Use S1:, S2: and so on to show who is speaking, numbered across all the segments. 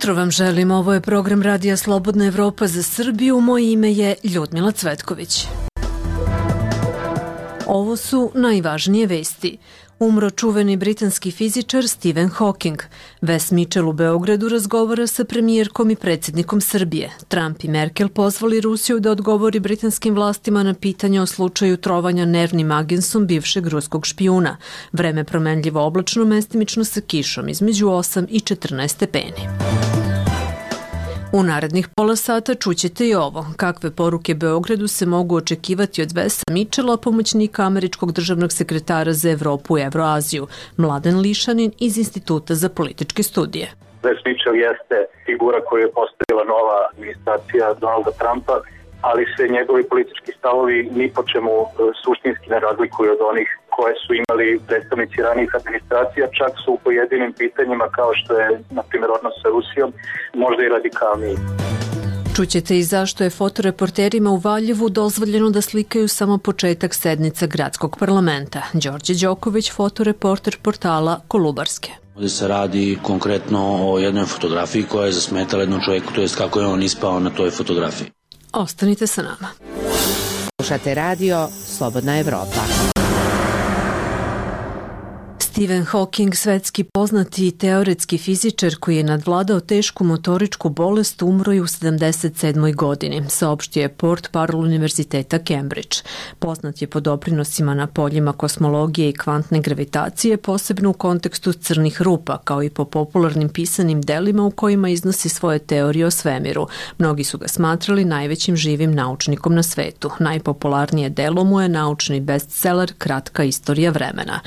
S1: jutro vam želim, ovo je program Radija Slobodna Evropa za Srbiju, moje ime je Ljudmila Cvetković. Ovo su najvažnije vesti. Umro čuveni britanski fizičar Stephen Hawking. Wes Mitchell u Beogradu razgovara sa premijerkom i predsjednikom Srbije. Trump i Merkel pozvali Rusiju da odgovori britanskim vlastima na pitanje o slučaju trovanja nervnim agensom bivšeg ruskog špijuna. Vreme promenljivo oblačno, mestimično sa kišom između 8 i 14 stepeni. U narednih pola sata čućete i ovo. Kakve poruke Beogradu se mogu očekivati od Wesa Mitchella, pomoćnika američkog državnog sekretara za Evropu i Evroaziju, Mladen Lišanin iz Instituta za političke studije.
S2: Wes Mitchell jeste figura koju je postavila nova administracija Donalda Trumpa, ali se njegovi politički stavovi ni po čemu suštinski ne razlikuju od onih koje su imali predstavnici ranijih administracija, čak su u pojedinim pitanjima kao što je, na primjer, odnos sa Rusijom, možda i radikalniji.
S1: Čućete i zašto je fotoreporterima u Valjevu dozvoljeno da slikaju samo početak sednica gradskog parlamenta. Đorđe Đoković, fotoreporter portala Kolubarske.
S3: Ovdje se radi konkretno o jednoj fotografiji koja je zasmetala jednom čovjeku, to je kako je on ispao na toj fotografiji.
S1: Ostanite sa nama.
S4: Slušate radio Slobodna Evropa.
S1: Stephen Hawking, svetski poznati teoretski fizičar koji je nadvladao tešku motoričku bolest, umro je u 77. godini, saopštio je Portparol Univerziteta Cambridge. Poznat je po doprinosima na poljima kosmologije i kvantne gravitacije, posebno u kontekstu crnih rupa, kao i po popularnim pisanim delima u kojima iznosi svoje teorije o svemiru. Mnogi su ga smatrali najvećim živim naučnikom na svetu. Najpopularnije delo mu je naučni bestseller Kratka istorija vremena.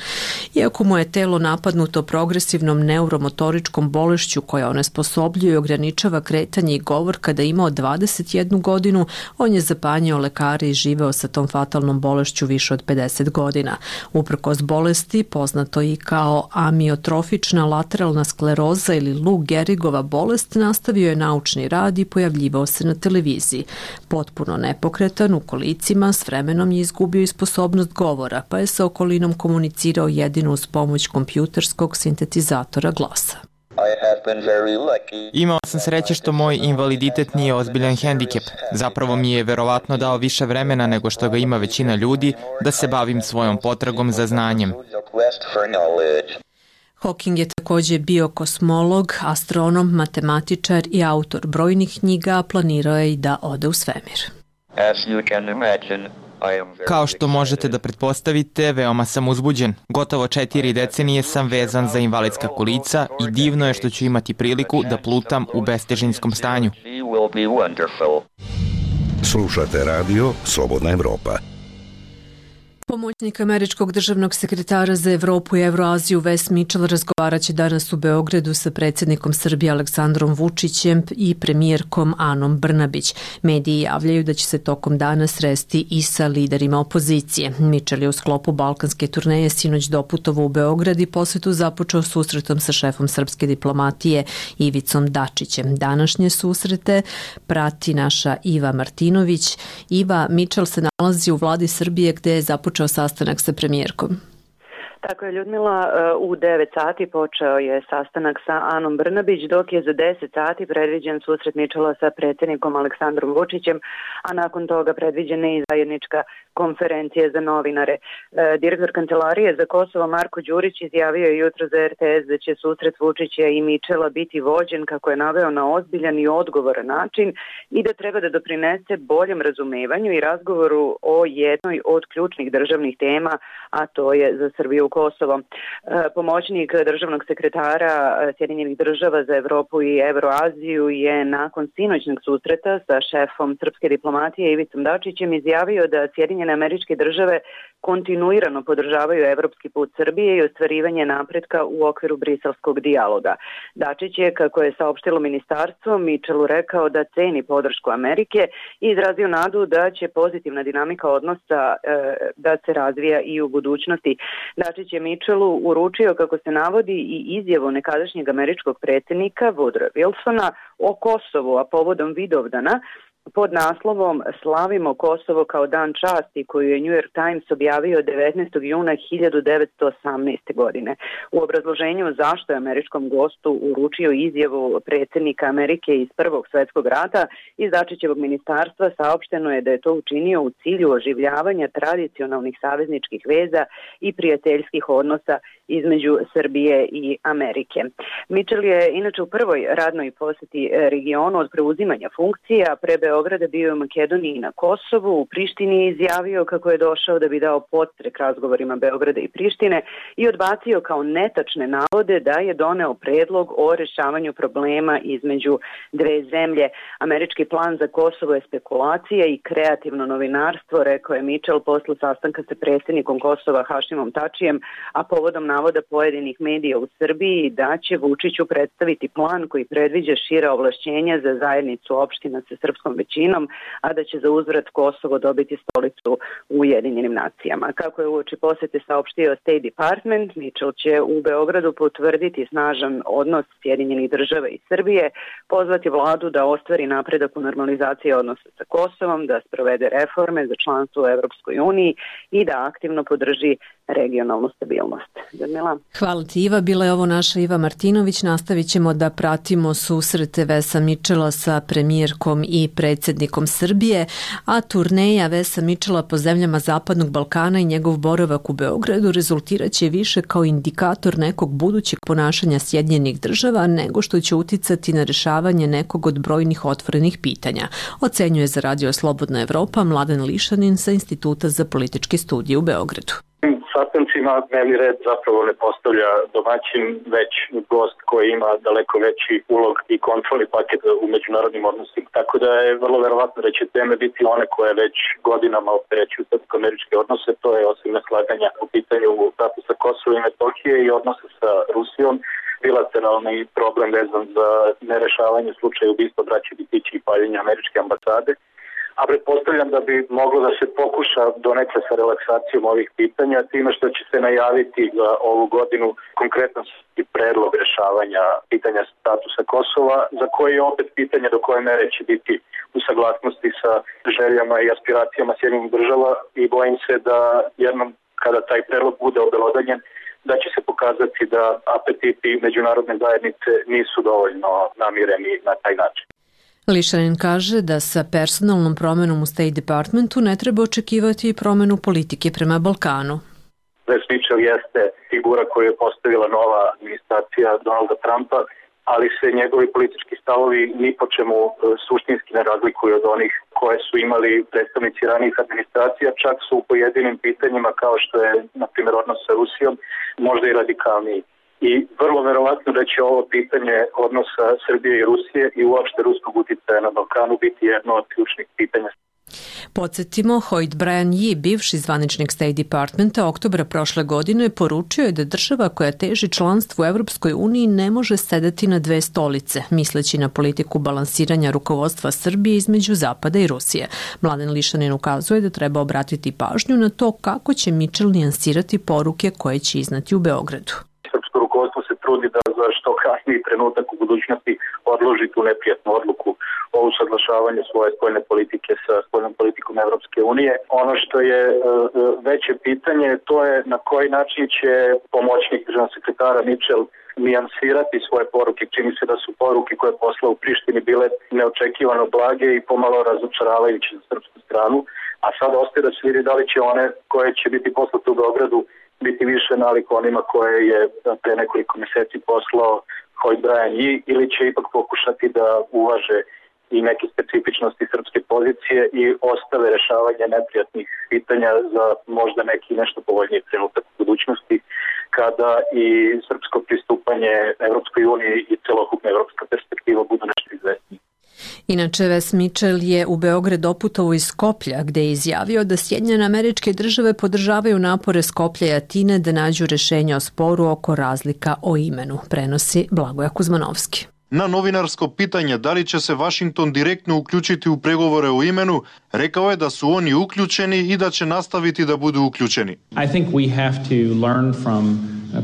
S1: Iako mu je telo napadnuto progresivnom neuromotoričkom bolešću koja onesposobljuje i ograničava kretanje i govor kada je imao 21 godinu, on je zapanjao lekare i živeo sa tom fatalnom bolešću više od 50 godina. Uprkos bolesti, poznato i kao amiotrofična lateralna skleroza ili Lou Gehrigova bolest, nastavio je naučni rad i pojavljivao se na televiziji. Potpuno nepokretan u kolicima, s vremenom je izgubio i sposobnost govora, pa je sa okolinom komunicirao jedino uz pomoć kompjuterskog sintetizatora glasa.
S5: Imao sam sreće što moj invaliditet nije ozbiljan hendikep. Zapravo mi je verovatno dao više vremena nego što ga ima većina ljudi da se bavim svojom potragom za znanjem.
S1: Hawking je također bio kosmolog, astronom, matematičar i autor brojnih knjiga, a planirao je i da ode u svemir.
S5: Kao što možete da pretpostavite, veoma sam uzbuđen. Gotovo 4 decenije sam vezan za invalidska kolica i divno je što ću imati priliku da plutam u bestežinskom stanju.
S6: Slušate radio Slobodna Evropa.
S1: Pomoćnik američkog državnog sekretara za Evropu i Evroaziju Wes Mitchell razgovarat će danas u Beogradu sa predsjednikom Srbije Aleksandrom Vučićem i premijerkom Anom Brnabić. Mediji javljaju da će se tokom dana sresti i sa liderima opozicije. Mitchell je u sklopu balkanske turneje sinoć doputovao u Beograd i posjetu započeo susretom sa šefom srpske diplomatije Ivicom Dačićem. Današnje susrete prati naša Iva Martinović. Iva, Mitchell se nalazi u vladi Srbije gde je započeo sastanak sa premijerkom.
S7: Tako je, Ljudmila, u 9 sati počeo je sastanak sa Anom Brnabić, dok je za 10 sati predviđen susret Mitchella sa predsjednikom Aleksandrom Vučićem, a nakon toga predviđena i zajednička konferencija za novinare. Direktor Kancelarije za Kosovo Marko Đurić izjavio je jutro za RTS da će susret Vučića i Mitchella biti vođen, kako je naveo, na ozbiljan i odgovoran način i da treba da doprinese boljem razumevanju i razgovoru o jednoj od ključnih državnih tema, a to je za Srbiju Kosovo. Pomoćnik državnog sekretara Sjedinjenih država za Evropu i Evroaziju je nakon sinoćnog susreta sa šefom srpske diplomatije Ivicom Dačićem izjavio da Sjedinjene Američke Države kontinuirano podržavaju evropski put Srbije i ostvarivanje napretka u okviru briselskog dijaloga. Dačić je, kako je saopštilo ministarstvo, Mitchellu rekao da ceni podršku Amerike i izrazio nadu da će pozitivna dinamika odnosa da se razvija i u budućnosti. Dačić je Mitchellu uručio, kako se navodi, i izjavu nekadašnjeg američkog predsjednika Woodrowa Wilsona o Kosovu, a povodom Vidovdana, pod naslovom Slavimo Kosovo kao dan časti, koju je New York Times objavio 19. juna 1918. godine. U obrazloženju zašto je američkom gostu uručio izjavu predsjednika Amerike iz Prvog svjetskog rata, iz Dačićevog ministarstva saopšteno je da je to učinio u cilju oživljavanja tradicionalnih savezničkih veza i prijateljskih odnosa između Srbije i Amerike. Mitchell je inače u prvoj radnoj posjeti regionu od preuzimanja funkcija pre Beograda bio u Makedoniji i na Kosovu. U Prištini je izjavio kako je došao da bi dao podstrek razgovorima Beograda i Prištine i odbacio kao netačne navode da je doneo predlog o rešavanju problema između dve zemlje. Američki plan za Kosovo je spekulacija i kreativno novinarstvo, rekao je Mitchell posle sastanka sa predsjednikom Kosova Hašimom Tačijem, a povodom navoda pojedinih medija u Srbiji da će Vučiću predstaviti plan koji predviđa šira ovlašćenja za zajednicu opština sa srpskom većinom, a da će za uzvrat Kosovo dobiti stolicu u Ujedinjenim nacijama. Kako je uoči posete saopštio State Department, Mitchell će u Beogradu potvrditi snažan odnos Sjedinjenih država i Srbije, pozvati vladu da ostvari napredak u normalizaciji odnosa sa Kosovom, da sprovede reforme za članstvo u Evropskoj uniji i da aktivno podrži regionalnu stabilnost. Ljudmila?
S1: Hvala ti, Iva. Bila je ovo naša Iva Martinović. Nastavit ćemo da pratimo susrete Vesa Mitchella sa premijerkom i predsjednikom Srbije, a turneja Vesa Mitchella po zemljama Zapadnog Balkana i njegov boravak u Beogradu rezultirat će više kao indikator nekog budućeg ponašanja Sjedinjenih država nego što će uticati na rešavanje nekog od brojnih otvorenih pitanja, ocenjuje za Radio Slobodna Evropa Mladen Lišanin sa Instituta za političke studije u Beogradu.
S2: Sastancima dnevni red zapravo ne postavlja domaćin, već gost koji ima daleko veći ulog i kontrolni paket u međunarodnim odnosima. Tako da je vrlo verovatno da će teme biti one koje već godinama opterećuju srpsko-američke odnose, to je osim neslaganja u pitanju statusa Kosova i Metohije i odnose sa Rusijom, bilateralni problem vezan za nerešavanje slučaja ubistva braće Bitići i paljenja američke ambasade. A pretpostavljam da bi moglo da se pokuša donekle sa relaksacijom ovih pitanja, time što će se najaviti za ovu godinu konkretan predlog rešavanja pitanja statusa Kosova, za koji je opet pitanje do koje mere će biti u saglasnosti sa željama i aspiracijama Sjedinjenih država i bojim se da jednom kada taj predlog bude obelodanjen, da će se pokazati da apetiti međunarodne zajednice nisu dovoljno namireni na taj način.
S1: Lišanin kaže da sa personalnom promenom u State Departmentu ne treba očekivati i promenu politike prema Balkanu.
S2: Wes Mitchell jeste figura koju je postavila nova administracija Donalda Trumpa, ali se njegovi politički stavovi ni po čemu suštinski ne razlikuju od onih koje su imali predstavnici ranijih administracija, čak su u pojedinim pitanjima kao što je, na primjer, odnos sa Rusijom, možda i radikalniji. I vrlo verovatno da će ovo pitanje odnosa Srbije i Rusije i uopšte ruskog uticaja na Balkanu biti jedno od ključnih pitanja.
S1: Podsjetimo, Hoyt Brian Yee, bivši zvaničnik State Departmenta, oktobra prošle godine poručio je da država koja teži članstvu u Evropskoj uniji ne može sedeti na dve stolice, misleći na politiku balansiranja rukovodstva Srbije između Zapada i Rusije. Mladen Lišanin ukazuje da treba obratiti pažnju na to kako će Mitchell nijansirati poruke koje će iznati u Beogradu.
S2: Srpsko rukovodstvo se trudi da za što kasniji trenutak u budućnosti odloži tu neprijatnu odluku o usaglašavanju svoje spoljne politike sa spoljnom politikom Evropske unije. Ono što je veće pitanje, to je na koji način će pomoćnik državnog sekretara Mitchell nijansirati svoje poruke. Čini se da su poruke koje je poslao u Prištini bile neočekivano blage i pomalo razočaravajuće za srpsku stranu, a sada ostaje da se vidi da li će one koje će biti poslate u Beogradu biti više nalik onima koje je pre nekoliko meseci poslao Hoyt Brian Yee, ili će ipak pokušati da uvaže i neke specifičnosti srpske pozicije i ostave rešavanje neprijatnih pitanja za možda neki nešto povoljniji trenutak u budućnosti, kada i srpsko pristupanje Evropskoj uniji i celokupna evropska perspektiva budu nešto izvesniji.
S1: Inače, Wes Mitchell je u Beograd doputovao iz Skoplja, gde je izjavio da Sjedinjene Američke Države podržavaju napore Skoplja i Atine da nađu rešenje o sporu oko razlika o imenu, prenosi Blagoja Kuzmanovski.
S8: Na novinarsko pitanje da li će se Vašington direktno uključiti u pregovore o imenu, rekao je da su oni uključeni i da će nastaviti da budu uključeni.
S9: I think we have to learn from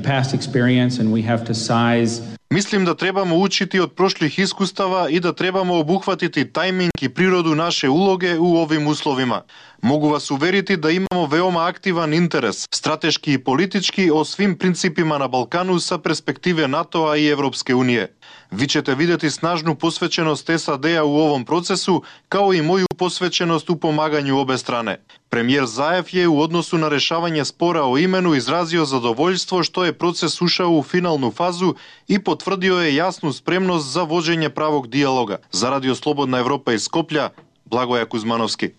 S9: past experience and we have to size
S8: Мислим да требамо учити од прошлих искустава и да требамо обухватити тајминг и природу наше улоге у овим условима. Могу вас уверити да имамо веома активан интерес, стратешки и политички, о свим принципима на Балкану са перспективе НАТО и Европске Унije. Ви ćete videti snažnu posvećenost SAD-a u ovom procesu, kao i moju posvećenost u pomaganju obe strane. Premijer Zaev je u odnosu na rešavanje spora o imenu izrazio zadovoljstvo što je proces ušao u finalnu fazu i potvrdio je jasnu spremnost za vođenje pravog dijaloga. Za Radio Slobodna Evropa iz Skoplja, Blagoja Kuzmanovski.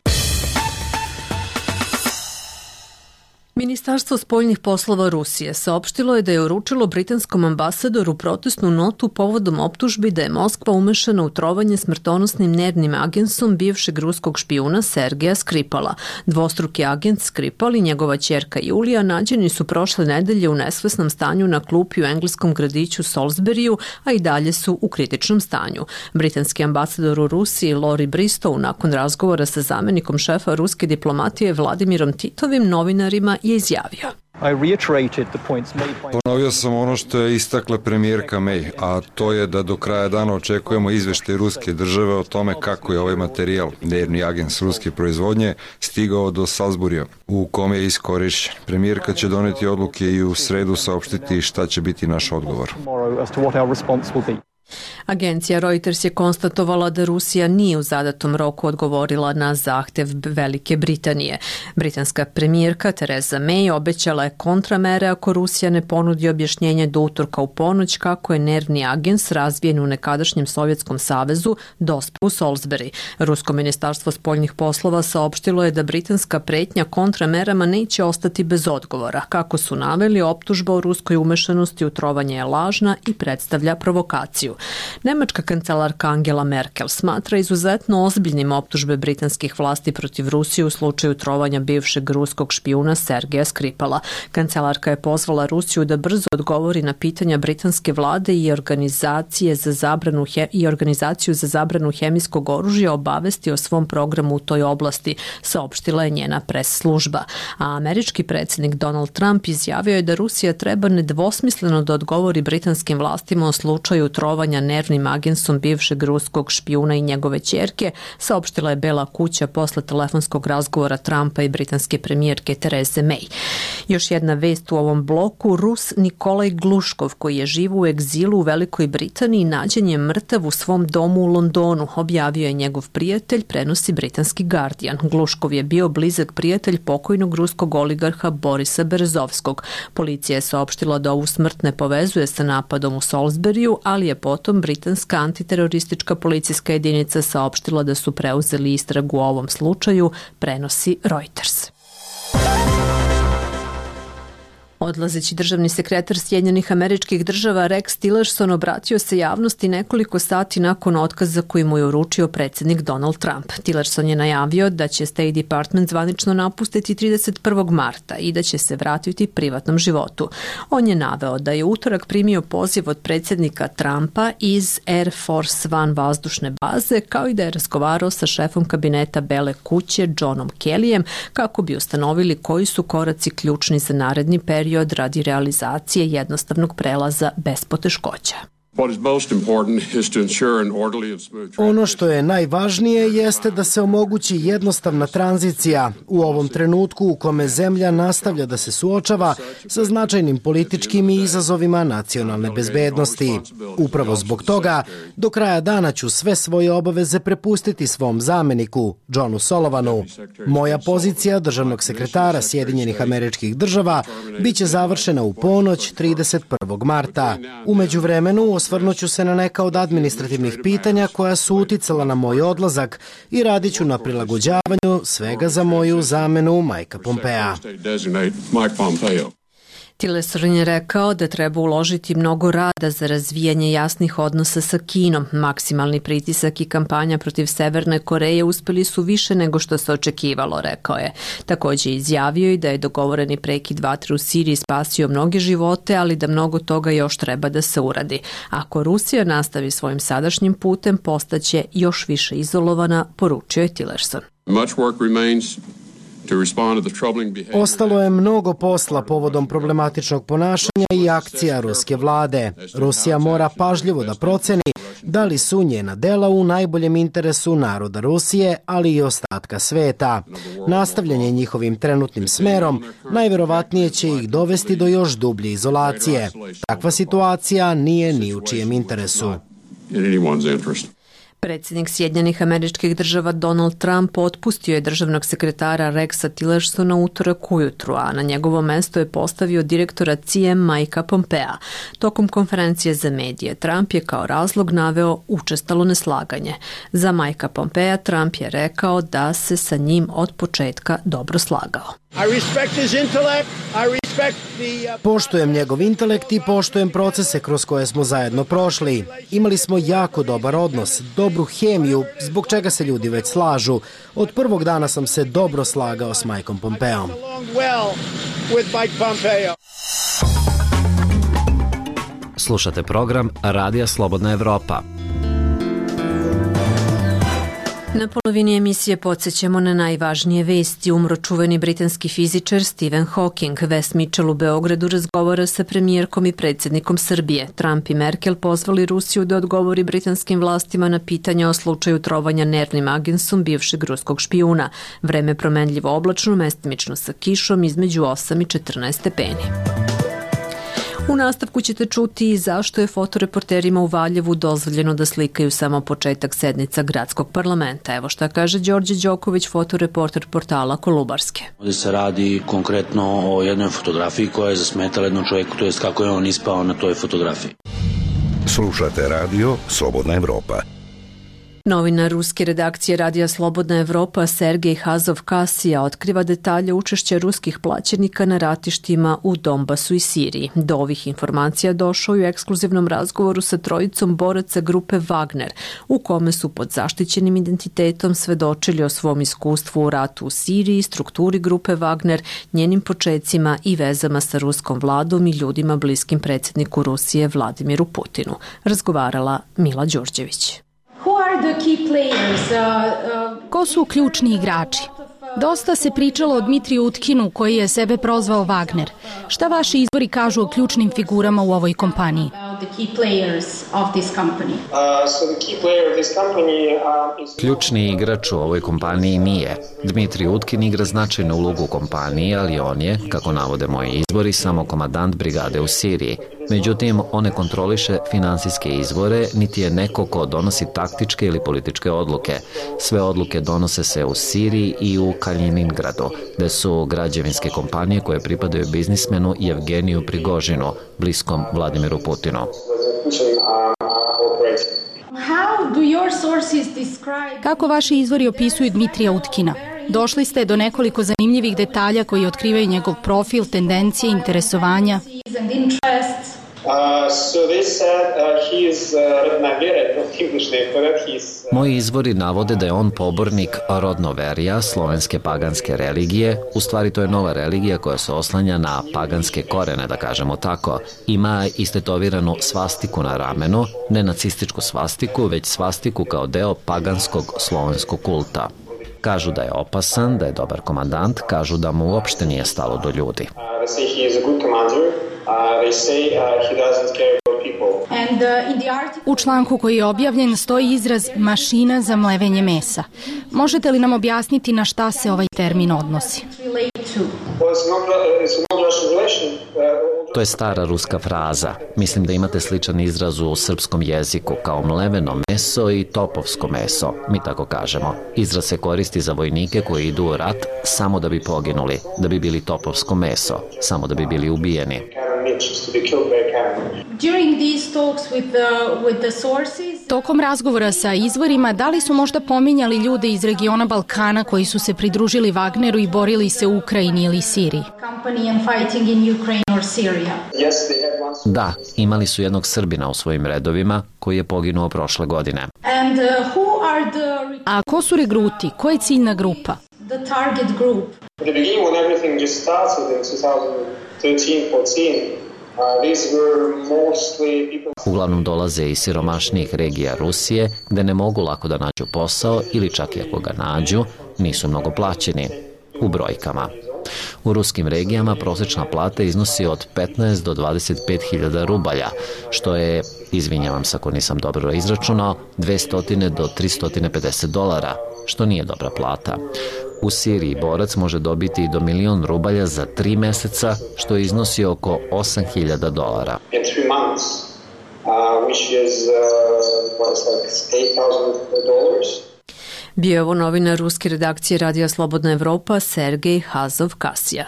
S1: Ministarstvo spoljnih poslova Rusije saopštilo je da je uručilo britanskom ambasadoru protestnu notu povodom optužbi da je Moskva umešana u trovanje smrtonosnim nervnim agensom bivšeg ruskog špijuna Sergeja Skripala. Dvostruki agent Skripal i njegova ćerka Julija nađeni su prošle nedelje u nesvesnom stanju na klupi u engleskom gradiću Salisburyu, a i dalje su u kritičnom stanju. Britanski ambasador u Rusiji Lori Bristow nakon razgovora sa zamenikom šefa ruske diplomatije Vladimirom Titovim novinarima je izjavio.
S9: Ponovio sam ono što je istakla premijerka May, a to je da do kraja dana očekujemo izveštaj ruske države o tome kako je ovaj materijal, nervni agent ruske proizvodnje, stigao do Salisburya, u kome je iskorišćen. Premijerka će doneti odluke i u sredu saopštiti šta će biti naš odgovor.
S1: Agencija Reuters je konstatovala da Rusija nije u zadatom roku odgovorila na zahtev Velike Britanije. Britanska premijerka Theresa May obećala je kontramere ako Rusija ne ponudi objašnjenje do utorka u ponoć kako je nervni agens razvijen u nekadašnjem Sovjetskom savezu dospeo u Salisbury. Rusko ministarstvo spoljnih poslova saopštilo je da britanska pretnja kontramerama neće ostati bez odgovora. Kako su naveli, optužba o ruskoj umešanosti u trovanje je lažna i predstavlja provokaciju. Nemačka kancelarka Angela Merkel smatra izuzetno ozbiljnim optužbe britanskih vlasti protiv Rusije u slučaju trovanja bivšeg ruskog špijuna Sergeja Skripala. Kancelarka je pozvala Rusiju da brzo odgovori na pitanja britanske vlade i organizaciju za zabranu hemijskog oružja obavesti o svom programu u toj oblasti, saopštila je njena pres služba. A američki predsjednik Donald Trump izjavio je da Rusija treba nedvosmisleno da odgovori britanskim vlastima o slučaju trovanja nervnim agensom bivšeg ruskog špijuna i njegove ćerke, saopštila je Bela kuća posle telefonskog razgovora Trumpa i britanske premijerke Therese May. Još jedna vest u ovom bloku, Rus Nikolaj Gluškov, koji je živo u egzilu u Velikoj Britaniji, nađen je mrtav u svom domu u Londonu, objavio je njegov prijatelj, prenosi britanski Guardian. Gluškov je bio blizak prijatelj pokojnog ruskog oligarha Borisa Berezovskog. Policija je saopštila da ovu smrt ne povezuje sa napadom u Salisburyu, ali je potom britanska antiteroristička policijska jedinica saopštila da su preuzeli istragu o ovom slučaju, prenosi Reuters. Odlazeći državni sekretar Sjedinjenih Američkih Država Rex Tillerson obratio se javnosti nekoliko sati nakon otkaza koji mu je uručio predsjednik Donald Trump. Tillerson je najavio da će State Department zvanično napustiti 31. marta i da će se vratiti privatnom životu. On je naveo da je utorak primio poziv od predsjednika Trumpa iz Air Force One vazdušne baze, kao i da je razgovarao sa šefom kabineta Bele kuće Johnom Kellyjem kako bi ustanovili koji su koraci ključni za naredni period radi realizacije jednostavnog prelaza bez poteškoća.
S10: Ono što je najvažnije jeste da se omogući jednostavna tranzicija u ovom trenutku u kome zemlja nastavlja da se suočava sa značajnim političkim izazovima nacionalne bezbednosti. Upravo zbog toga, do kraja dana ću sve svoje obaveze prepustiti svom zameniku, Johnu Sullivanu. Moja pozicija državnog sekretara Sjedinjenih Američkih Država biće završena u ponoć 31. marta. U međuvremenu osvrnuću se na neka od administrativnih pitanja koja su uticala na moj odlazak i radit ću na prilagođavanju svega za moju zamenu Mikea Pompea.
S1: Tillerson je rekao da treba uložiti mnogo rada za razvijanje jasnih odnosa sa Kinom. Maksimalni pritisak i kampanja protiv Severne Koreje uspeli su više nego što se očekivalo, rekao je. Također izjavio i da je dogovoreni prekid vatre u Siriji spasio mnoge živote, ali da mnogo toga još treba da se uradi. Ako Rusija nastavi svojim sadašnjim putem, postaće još više izolovana, poručio je Tillerson.
S10: Ostalo je mnogo posla povodom problematičnog ponašanja i akcija ruske vlade. Rusija mora pažljivo da proceni da li su njena dela u najboljem interesu naroda Rusije, ali i ostatka sveta. Nastavljanje njihovim trenutnim smerom najverovatnije će ih dovesti do još dublje izolacije. Takva situacija nije ni u čijem interesu.
S1: Predsjednik Sjedinjenih Američkih Država Donald Trump otpustio je državnog sekretara Rexa Tillersona utorak ujutru, a na njegovo mesto je postavio direktora CIA Mikea Pompea. Tokom konferencije za medije Trump je kao razlog naveo učestalo neslaganje. Za Mikea Pompea Trump je rekao da se sa njim od početka dobro slagao.
S10: Poštujem njegov intelekt i poštujem procese kroz koje smo zajedno prošli. Imali smo jako dobar odnos, dobru hemiju, zbog čega se ljudi već slažu. Od prvog dana sam se dobro slagao s Mikeom Pompeom.
S11: Slušate program Radija Slobodna Evropa.
S1: Na polovini emisije podsjećamo na najvažnije vesti. Umro čuveni britanski fizičar Stephen Hawking. Wes Mitchell u Beogradu razgovara sa premijerkom i predsjednikom Srbije. Trump i Merkel pozvali Rusiju da odgovori britanskim vlastima na pitanja o slučaju trovanja nervnim agensom bivšeg ruskog špijuna. Vreme promenljivo oblačno, mestimično sa kišom između 8 i 14 stepeni. U nastavku ćete čuti i zašto je fotoreporterima u Valjevu dozvoljeno da slikaju samo početak sednica gradskog parlamenta. Evo šta kaže Đorđe Đoković, fotoreporter portala Kolubarske.
S3: Ovdje se radi konkretno o jednoj fotografiji koja je zasmetala jednom čovjeku, to jest kako je on ispao na toj fotografiji.
S6: Slušate radio Slobodna Evropa.
S1: Novinar ruske redakcije Radija Slobodna Evropa Sergej Hazov-Kasija otkriva detalje učešća ruskih plaćenika na ratištima u Donbasu i Siriji. Do ovih informacija došao je u ekskluzivnom razgovoru sa trojicom boraca grupe Wagner, u kome su pod zaštićenim identitetom svedočili o svom iskustvu u ratu u Siriji, strukturi grupe Wagner, njenim počecima i vezama sa ruskom vladom i ljudima bliskim predsjedniku Rusije Vladimiru Putinu. Razgovarala Mila Đurđević.
S12: Ko su ključni igrači? Dosta se pričalo o Dmitriju Utkinu koji je sebe prozvao Wagner. Šta vaši izvori kažu o ključnim figurama u ovoj kompaniji?
S11: Ključni igrač u ovoj kompaniji nije. Dmitrij Utkin igra značajnu ulogu u kompaniji, ali on je, kako navode moji izvori, samo komandant brigade u Siriji. Međutim, on ne kontroliše finansijske izvore, niti je neko ko donosi taktičke ili političke odluke. Sve odluke donose se u Siriji i u Kaliningradu, gde su građevinske kompanije koje pripadaju biznismenu Jevgeniju Prigožinu, bliskom Vladimiru Putinu.
S12: Kako vaši izvori opisuju Dmitrija Utkina? Došli ste do nekoliko zanimljivih detalja koji otkrivaju njegov profil, tendencije, interesovanja.
S11: Moji izvori navode da je on pobornik rodnoverija, slovenske paganske religije. U stvari to je nova religija koja se oslanja na paganske korene, da kažemo tako. Ima istetoviranu svastiku na ramenu, ne nacističku svastiku, već svastiku kao deo paganskog slovenskog kulta. Kažu da je opasan, da je dobar komandant, kažu da mu uopšte nije stalo do ljudi.
S12: U članku koji je objavljen stoji izraz mašina za mlevenje mesa. Možete li nam objasniti na šta se ovaj termin odnosi?
S11: To je stara ruska fraza. Mislim da imate sličan izraz u srpskom jeziku kao mleveno meso i topovsko meso, mi tako kažemo. Izraz se koristi za vojnike koji idu u rat samo da bi poginuli, da bi bili topovsko meso, samo da bi bili ubijeni.
S12: Tokom razgovora sa izvorima, da li su možda pominjali ljude iz regiona Balkana koji su se pridružili Wagneru i borili se u Ukrajini ili Siriji?
S11: Da, imali su jednog Srbina u svojim redovima koji je poginuo prošle godine.
S12: A ko su regruti? Ko je ciljna grupa?
S11: Uglavnom dolaze iz siromašnijih regija Rusije, gde ne mogu lako da nađu posao ili čak i ako ga nađu, nisu mnogo plaćeni. U brojkama. U ruskim regijama prosječna plata iznosi od 15 do 25.000 rubalja, što je, izvinjavam se ako nisam dobro izračunao, 200 do 350 dolara, što nije dobra plata. U Siriji borac može dobiti i do 1.000.000 rubalja za 3 meseca, što iznosi oko 8.000 dolara.
S1: Bio je ovo novinar ruske redakcije Radija Slobodna Evropa Sergej Hazov-Kasija.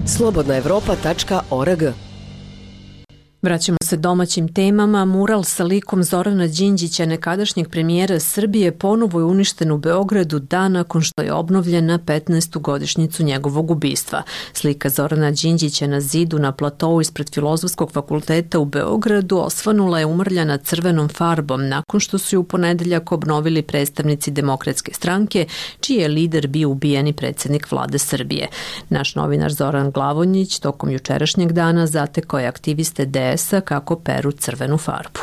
S4: slobodnaevropa.org.
S1: Vraćamo se domaćim temama. Mural sa likom Zorana Đinđića, nekadašnjeg premijera Srbije, ponovo je uništen u Beogradu dan nakon što je obnovljen na 15. godišnjicu njegovog ubistva. Slika Zorana Đinđića na zidu na platou ispred Filozofskog fakulteta u Beogradu osvanula je umrljana crvenom farbom nakon što su ju u ponedeljak obnovili predstavnici Demokratske stranke, čiji je lider bio ubijeni predsjednik vlade Srbije. Naš novinar Zoran Glavonjić tokom jučerašnjeg dana zatekao je aktiviste DS-a kako peru crvenu farbu.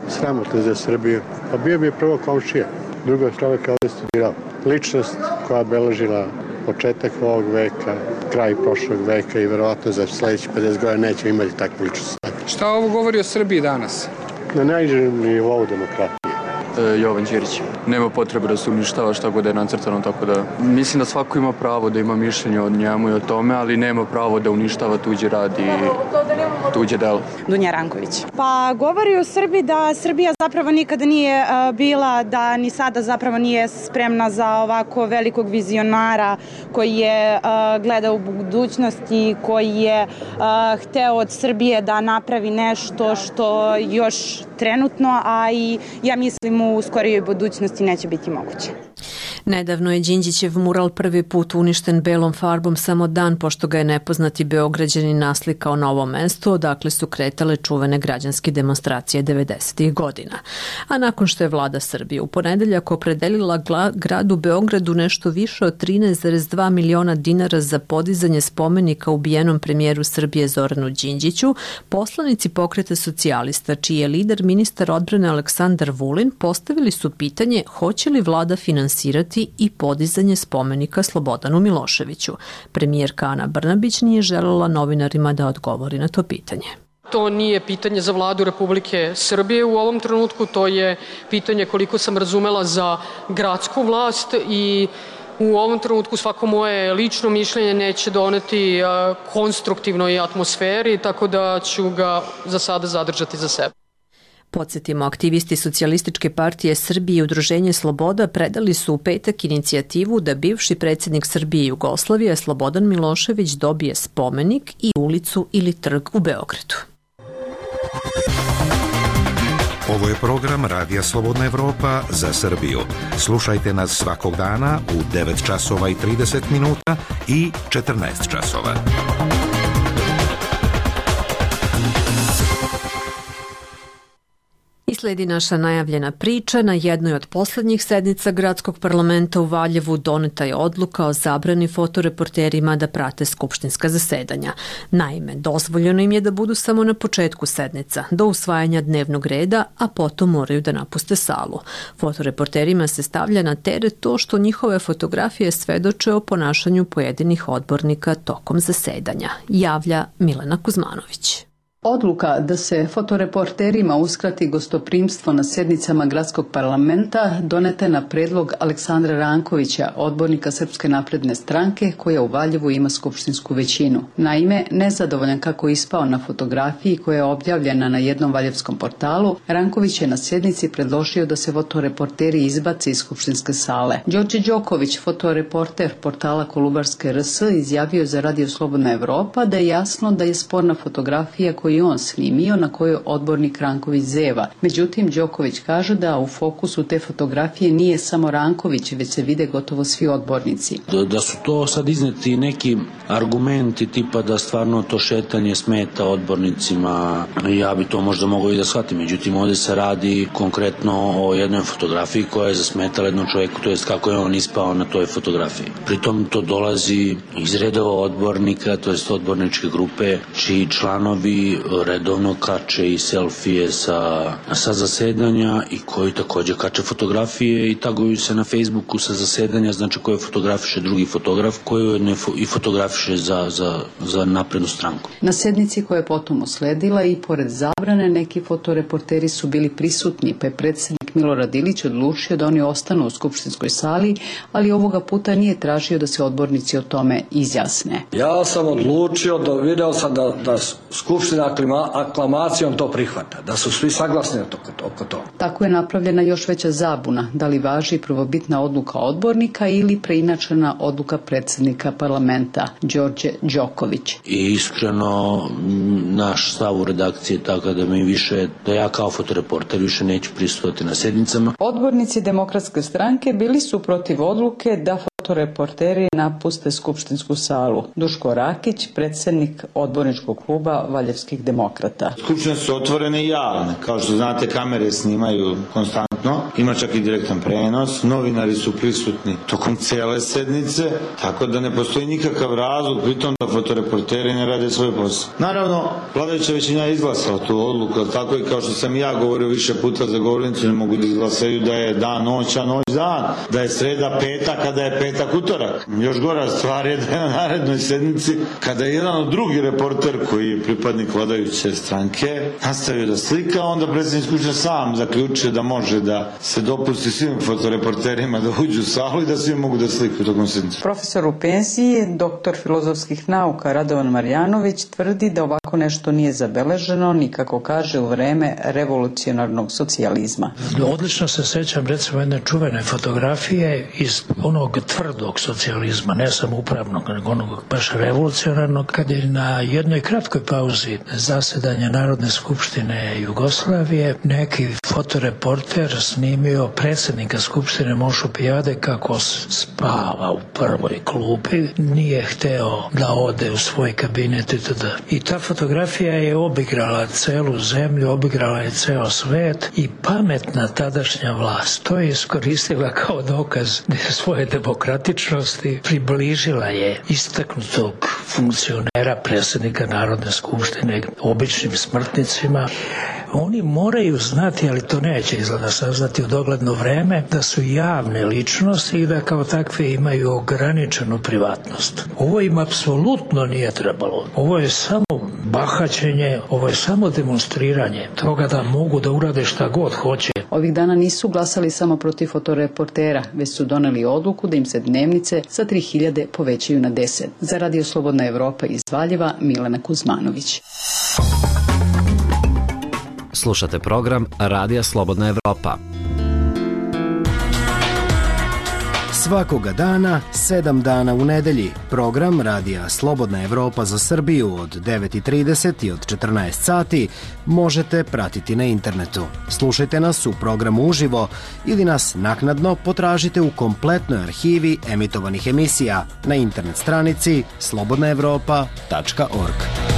S13: Sramotno za Srbiju. Pa bio bi prvo komšija, drugo čovjek ovdje studirao. Ličnost koja beležila početak ovog veka, kraj prošlog veka i verovatno za sljedeći 50 godina nećemo imati takvu ličnost.
S14: Šta ovo govori o Srbiji danas?
S13: Na najnižem nivou demokratije.
S15: Jovan Ćirić. Nema potrebe da se uništava šta god je nacrtano, tako da mislim da svako ima pravo da ima mišljenje o njemu i o tome, ali nema pravo da uništava tuđi rad i tuđe delo.
S16: Dunja Ranković. Pa govori o Srbiji da Srbija zapravo nikada nije bila, da ni sada zapravo nije spremna za ovako velikog vizionara koji je gledao u budućnost i koji je hteo od Srbije da napravi nešto što još trenutno, a i ja mislim u skorijoj budućnosti neće biti moguće.
S1: Nedavno je Đinđićev mural prvi put uništen belom farbom samo dan pošto ga je nepoznati Beograđanin naslikao na ovom mestu, odakle su kretale čuvene građanske demonstracije 90. godina. A nakon što je vlada Srbije u ponedeljak opredelila gradu Beogradu nešto više od 13,2 miliona dinara za podizanje spomenika ubijenom premijeru Srbije Zoranu Đinđiću, poslanici Pokreta socijalista, čiji je lider ministar odbrane Aleksandar Vulin, postavili su pitanje hoće li vlada finansirati i podizanje spomenika Slobodanu Miloševiću. Premijerka Ana Brnabić nije želela novinarima da odgovori na to pitanje.
S17: To nije pitanje za vladu Republike Srbije u ovom trenutku, to je pitanje, koliko sam razumela, za gradsku vlast i u ovom trenutku svako moje lično mišljenje neće doneti konstruktivnoj atmosferi, tako da ću ga za sada zadržati za sebe.
S1: Podsjetimo, aktivisti Socijalističke partije Srbije i Udruženje Sloboda predali su u petak inicijativu da bivši predsjednik Srbije i Jugoslavije Slobodan Milošević dobije spomenik i ulicu ili trg u Beogradu.
S6: Ovo je program Radija Slobodna Evropa za Srbiju. Slušajte nas svakog dana u 9 časova i 30 minuta i 14 časova.
S1: I sledi naša najavljena priča. Na jednoj od poslednjih sednica Gradskog parlamenta u Valjevu doneta je odluka o zabrani fotoreporterima da prate skupštinska zasedanja. Naime, dozvoljeno im je da budu samo na početku sednica, do usvajanja dnevnog reda, a potom moraju da napuste salu. Fotoreporterima se stavlja na teret to što njihove fotografije svedoče o ponašanju pojedinih odbornika tokom zasedanja, javlja Milena Kuzmanović.
S18: Odluka da se fotoreporterima uskrati gostoprimstvo na sednicama Gradskog parlamenta doneta je na predlog Aleksandra Rankovića, odbornika Srpske napredne stranke, koja u Valjevu ima skupštinsku većinu. Naime, nezadovoljan kako je ispao na fotografiji koja je objavljena na jednom valjevskom portalu, Ranković je na sjednici predložio da se fotoreporteri izbace iz skupštinske sale. Đorđe Đoković, fotoreporter portala Kolubarske RS, izjavio za Radio Slobodna Evropa da je jasno da je sporna fotografija koju je on snimio, na kojoj odbornik Ranković zeva. Međutim, Đoković kaže da u fokusu te fotografije nije samo Ranković, već se vide gotovo svi odbornici.
S3: Da su to sad izneti neki argumenti tipa da stvarno to šetanje smeta odbornicima, ja bi to možda mogao i da shvatim. Međutim, ovdje se radi konkretno o jednoj fotografiji koja je zasmetala jednom čovjeku, to jest kako je on ispao na toj fotografiji. Pritom to dolazi iz redova odbornika, to jest odborničke grupe, čiji članovi redovno kače i selfije sa zasedanja i koji takođe kače fotografije i taguju se na Facebooku sa zasedanja, znači koje fotografiše drugi fotograf, koji i fotografiše za naprednu stranku.
S18: Na sednici koja je potom usledila i pored zabrane neki fotoreporteri su bili prisutni, pa je predsjednik Milorad Ilić odlučio da oni ostanu u skupštinskoj sali, ali ovoga puta nije tražio da se odbornici o tome izjasne.
S19: Ja sam odlučio, video sam da skupština aklamacijom to prihvata, da su svi saglasni oko toga.
S18: Tako je napravljena još veća zabuna, da li važi prvobitna odluka odbornika ili preinačena odluka predsjednika parlamenta, Đorđe Đoković.
S3: I iskreno, naš stav u redakciji je tako da ja kao fotoreporter više neću prisustvovati na sednicama.
S18: Odbornici Demokratske stranke bili su protiv odluke da fotoreporteri napuste skupštinsku salu. Duško Rakić, predsjednik odborničkog kluba Valjevskih demokrata.
S20: Skupštine su otvorene i javne. Kao što znate, kamere snimaju konstantno. Ima čak i direktan prenos. Novinari su prisutni tokom cijele sednice, tako da ne postoji nikakav razlog pritom da fotoreporteri ne rade svoj posao. Naravno, vladajuća većina je izglasala tu odluku, tako i kao što sam ja govorio više puta za govornicu, ne mogu da izglasaju da je dan noć, a noć dan, da je sreda petak, a da je petak utorak. Još gora stvar je da je na narednoj sednici, kada je jedan od drugi reporter koji je pripadnik vladajuće stranke nastavio da slika, onda predsjednik Skupštine sam zaključio da može da se dopusti svim fotoreporterima da uđu u salu i da svi mogu da slikaju tokom sednice.
S18: Profesor u penziji, doktor filozofskih nauka Radovan Marjanović tvrdi da ovako nešto nije zabeleženo ni kako kaže u vreme revolucionarnog socijalizma.
S21: Odlično se sećam recimo jedne čuvene fotografije iz onog tvrdog socijalizma, ne samo upravnog, nego onog baš revolucionarnog, kad je na jednoj kratkoj pauzi zasedanja Narodne skupštine Jugoslavije neki fotoreporter snimio predsjednika skupštine Mošu Pijade kako spava u prvoj klupi, nije hteo da ode u svoj kabinet itd. I ta fotografija je obigrala celu zemlju, obigrala je ceo svet i pametna tadašnja vlast to je iskoristila kao dokaz svoje demokratičnosti, približila je istaknutog funkcionera predsjednika Narodne skupštine običnim smrtnicima. Oni moraju znati, ali to neće izgleda saznati u dogledno vreme, da su javne ličnosti i da kao takve imaju ograničenu privatnost. Ovo im apsolutno nije trebalo. Ovo je samo bahaćenje, ovo je samo demonstriranje toga da mogu da urade šta god hoće.
S18: Ovih dana nisu glasali samo protiv fotoreportera, već su doneli odluku da im se dnevnice sa 3.000 povećaju na 10. Za Radio Slobodna Evropa iz Valjeva, Milena Kuzmanović.
S11: Slušate program Radija Slobodna Evropa.
S10: Svakoga dana, 7 dana u nedelji, program Radija Slobodna Evropa za Srbiju od 9:30 i od 14 sati možete pratiti na internetu. Slušajte nas u programu uživo ili nas naknadno potražite u kompletnoj arhivi emitovanih emisija na internet stranici slobodnaevropa.org.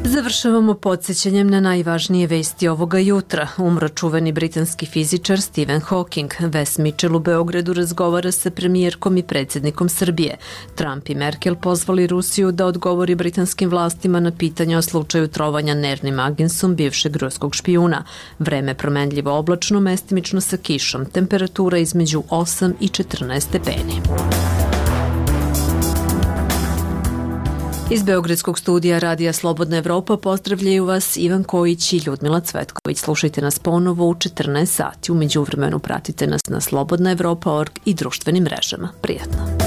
S1: Završavamo podsjećanjem na najvažnije vesti ovoga jutra. Umro čuveni britanski fizičar Stephen Hawking. Wes Mitchell u Beogradu razgovara sa premijerkom i predsjednikom Srbije. Trump i Merkel pozvali Rusiju da odgovori britanskim vlastima na pitanja o slučaju trovanja nervnim agensom bivšeg ruskog špijuna. Vreme promenljivo oblačno, mestimično sa kišom. Temperatura između 8 i 14 stepeni. Iz Beogradskog studija Radija Slobodna Evropa pozdravljaju vas Ivan Kojić i Ljudmila Cvetković. Slušajte nas ponovo u 14 sati. U međuvremenu pratite nas na slobodnaevropa.org i društvenim mrežama. Prijatno.